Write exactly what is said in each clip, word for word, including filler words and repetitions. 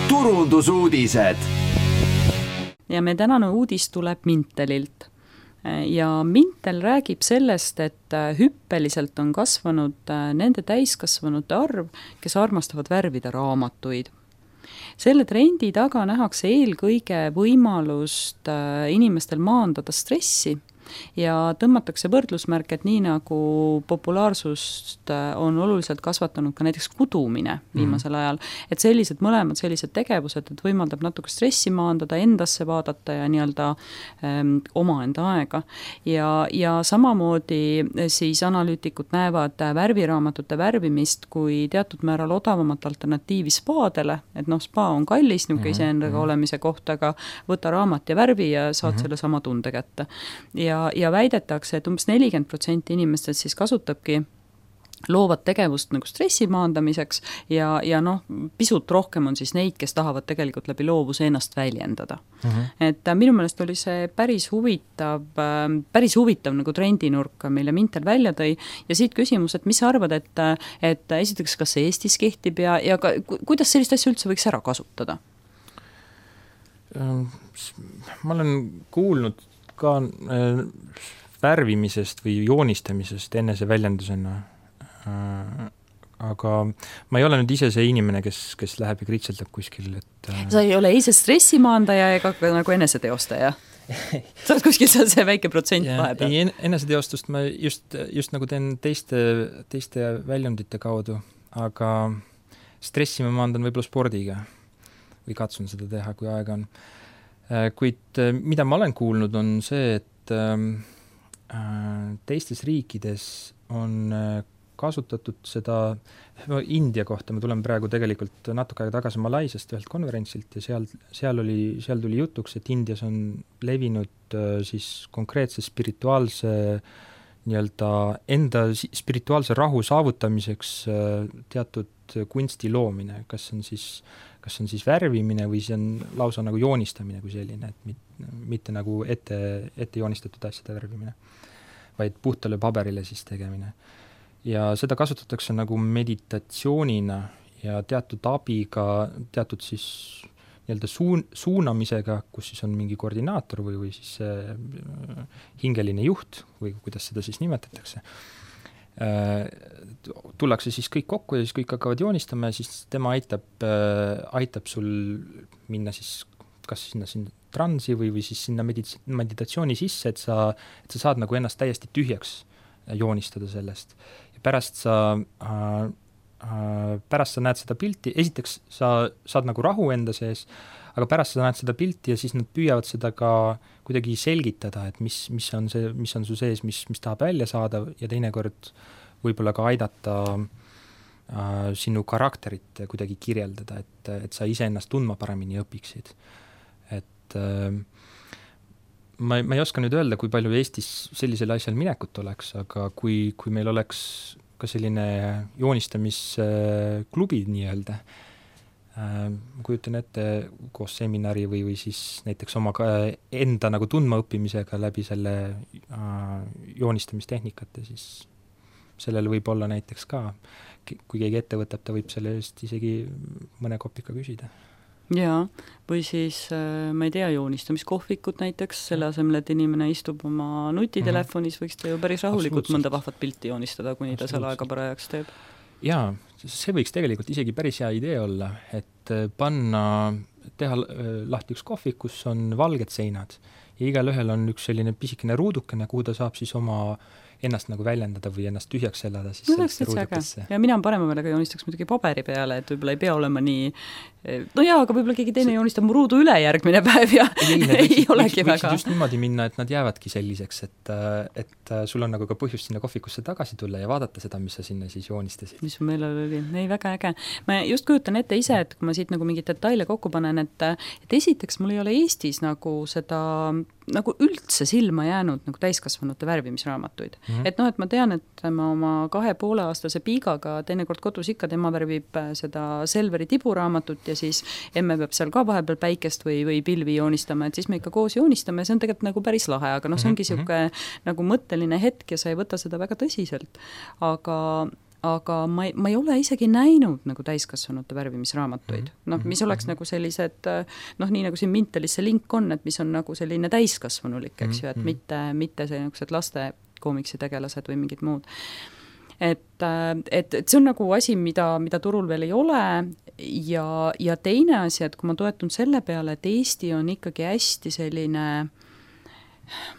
turundusuudised. Ja me tänane uudis tuleb Mintelilt. Ja Mintel räägib sellest, et hüppeliselt on kasvanud nende täiskasvanute arv, kes armastavad värvida raamatuid. Selle trendi taga nähakse eelkõige võimalust inimestel maandada stressi ja tõmmatakse võrdlusmärk, et nii nagu populaarsust on oluliselt kasvatanud ka näiteks kudumine viimasel ajal, et sellised mõlemad sellised tegevused, et võimaldab natuke stressi maandada, endasse vaadata ja nii-öelda ähm, omaenda aega. Ja, ja samamoodi siis analüütikud näevad värviraamatute värvimist kui teatud määral odavamat alternatiivi spaadele, et noh, spa on kallis niuke iseendaga olemise kohta, aga võta raamat ja värvi ja saad mm-hmm. selle sama tunde kätte. Ja Ja, ja väidetakse, et umbes nelikümmend protsenti inimestest siis kasutabki loovat tegevust nagu stressi maandamiseks ja, ja noh, pisut rohkem on siis neid, kes tahavad tegelikult läbi loovuse ennast väljendada. Uh-huh. Et minu meelest oli see päris huvitav, päris huvitav nagu trendinurk, mille Mintel välja tõi ja siit küsimus, et mis sa arvad, et, et esiteks, kas see Eestis kehtib ja, ja ka, kuidas sellist asja üldse võiks ära kasutada? Ma olen kuulnud ka äh, värvimisest või joonistamisest enese väljendusena. Äh, aga ma ei ole nüüd ise see inimene, kes, kes läheb ja kritseldab kuskil. Et, äh... Sa ei ole ise stressimaandaja ega nagu eneseteostaja? Sa oled kuskil seal see väike protsent vahepeal? Ei, eneseteostust ma just, just nagu teen teiste, teiste väljundite kaudu, aga stressi ma maandan võib-olla spordiga või katsun seda teha, kui aega on. Kuid mida ma olen kuulnud on see, et teistes riikides on kasutatud seda, India kohta, me tuleme praegu tegelikult natuke aega tagasi Malaisiast ühelt konverentsilt ja seal, seal, oli, seal tuli jutuks, et Indias on levinud siis konkreetse spirituaalse nii-öelda enda spirituaalse rahu saavutamiseks teatud kunsti loomine, kas on siis kas on siis värvimine või see on lausa nagu joonistamine kui selline, et mitte, mitte nagu ette, ette joonistatud asjade värvimine, vaid puhtale paberile siis tegemine. Ja seda kasutatakse nagu meditatsioonina ja teatud abiga, teatud siis nii-öelda suun, suunamisega, kus siis on mingi koordinaator või, või siis hingeline juht või kuidas seda siis nimetatakse. Tullakse siis kõik kokku ja siis kõik hakkavad joonistama ja siis tema aitab, aitab sul minna siis kas sinna, sinna transi või, või siis sinna medits- meditatsiooni sisse, et sa, et sa saad nagu ennast täiesti tühjaks joonistada sellest. Ja pärast sa, äh, pärast sa näed seda pilti, esiteks sa saad nagu rahu enda sees, aga pärast sa näed seda pilti ja siis nad püüavad seda ka kuidagi selgitada, et mis, mis on see, mis on su sees, mis, mis tahab välja saada ja teinekord võib-olla ka aidata äh, sinu karakterit kuidagi kirjeldada, et, et sa ise ennast tundma paremini õpiksid. Et äh, ma, ma ei oska nüüd öelda, kui palju Eestis sellisel asjal minekut oleks, aga kui, kui meil oleks ka selline joonistamisklubi nii-öelda, kujutan ette koos seminari või, või siis näiteks oma enda nagu tundma õppimisega läbi selle joonistamistehnikate, siis sellel võib olla näiteks ka, kui keegi ette võtab, ta võib selle eest isegi mõne kopika küsida. Jaa, või siis, ma ei tea, joonistamiskohvikut näiteks, selle asemel, et inimene istub oma nutitelefonis, võiks ta ju päris rahulikult mõnda vahvat pilti joonistada, kuni ta seal aega parajaks teeb. Jaa, see võiks tegelikult isegi päris hea idee olla, et panna, teha lahti üks kohvik, kus on valged seinad ja igal ühel on üks selline pisikene ruudukene, kuhu ta saab siis oma ennast nagu väljendada või ennast tühjaks elada siis no, ruudukesse. Ja mina on parema meelega joonistaks muidugi paberi peale, et võib-olla ei pea olema nii, no jaa, aga võib-olla keegi teine see... joonistab mu ruudu üle järgmine päev ja ei, ei, ei võiks, olegi võiks, väga. Just niimoodi minna, et nad jäävadki selliseks, et, et sul on nagu ka põhjust sinna kohvikusse tagasi tulla ja vaadata seda, mis sa sinna siis joonistasid. Mis su meelel oli? Ei, väga äge. Ma just kujutan ette ise, et kui ma siit nagu mingid detaile kokku panen, et, et esiteks mul ei ole Eestis nagu seda nagu üldse silma jäänud nagu täiskasvanute värvimisraamatuid. Mm-hmm. Et noh, et ma tean, et ma oma kahe poole aastase piigaga teinekord kodus ikka tema värvib seda Selveri tiburaamatut ja siis emme peab seal ka vahepeal päikest või, või pilvi joonistama, et siis me ikka koos joonistame ja see on tegelikult nagu päris lahe, aga noh, see ongi mm-hmm. siuke nagu mõtteline hetk ja sa ei võta seda väga tõsiselt. Aga aga ma ei, ma ei ole isegi näinud nagu täiskasvanute värvimisraamatuid. Mm-hmm. Noh, mis oleks mm-hmm. nagu sellised, noh, nii nagu siin Mintelis see link on, et mis on nagu selline täiskasvanulik, eks ju, et mm-hmm. mitte, mitte sellised laste koomiksi tegelased või mingid muud. Et, et, et see on nagu asi, mida, mida turul veel ei ole ja, ja teine asi, et kui ma toetun selle peale, et Eesti on ikkagi hästi selline,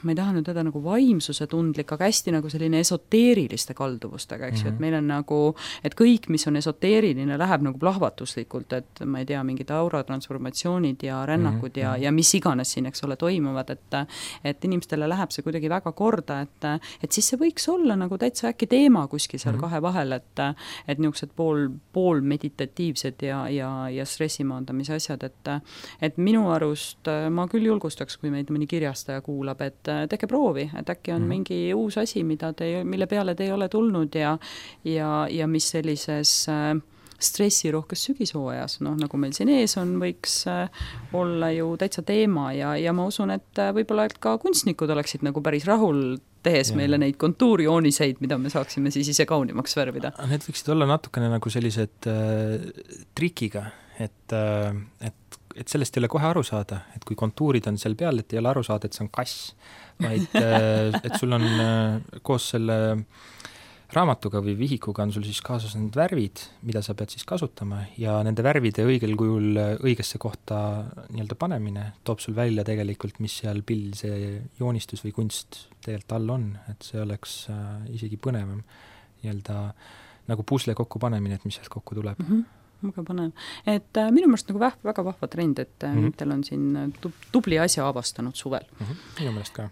ma ei taha nüüd öelda nagu vaimsuse tundlik, aga hästi nagu selline esoteeriliste kalduvustega, eks ju, mm-hmm. et meil on nagu, et kõik, mis on esoteeriline, läheb nagu plahvatuslikult, et ma ei tea, mingid auratransformatsioonid ja rännakud mm-hmm. ja, ja mis iganes siin, eks ole, toimuvad, et et inimestele läheb see kuidagi väga korda, et et siis see võiks olla nagu täitsa äkki teema kuskil seal mm-hmm. kahe vahel, et et niisugused pool, pool meditatiivsed ja, ja, ja stressimaandamise asjad, et et minu arust ma küll julgustaks, kui meid mõni kirjastaja kuulab, et tehke proovi, et äkki on mm-hmm. mingi uus asi, mida te, mille peale te ei ole tulnud ja, ja, ja mis sellises äh, stressirohkes sügishooajas, noh, nagu meil siin ees on, võiks äh, olla ju täitsa teema ja, ja ma usun, et äh, võib-olla et ka kunstnikud oleksid nagu päris rahul tehes ja. Meile neid kontuurijooniseid, mida me saaksime siis ise kaunimaks värvida. Need võiksid olla natukene nagu sellised äh, trikiga, et, äh, et et sellest ei ole kohe aru saada, et kui kontuurid on seal peal, et ei ole aru saada, et see on kass, vaid et sul on koos selle raamatuga või vihikuga on sul siis kaasas need värvid, mida sa pead siis kasutama ja nende värvide õigel kujul õigesse kohta nii-öelda panemine toob sul välja tegelikult, mis seal pill see joonistus või kunst tegelikult all on, et see oleks isegi põnevam nii-öelda nagu pusle kokku panemine, et mis sealt kokku tuleb. Mm-hmm. Väga panev. Et äh, minu meelest nagu väh, väga vahva trend, et äh, mm-hmm. Mintel on siin tub, tubli asja avastanud suvel. Mm-hmm. Minu meelest ka.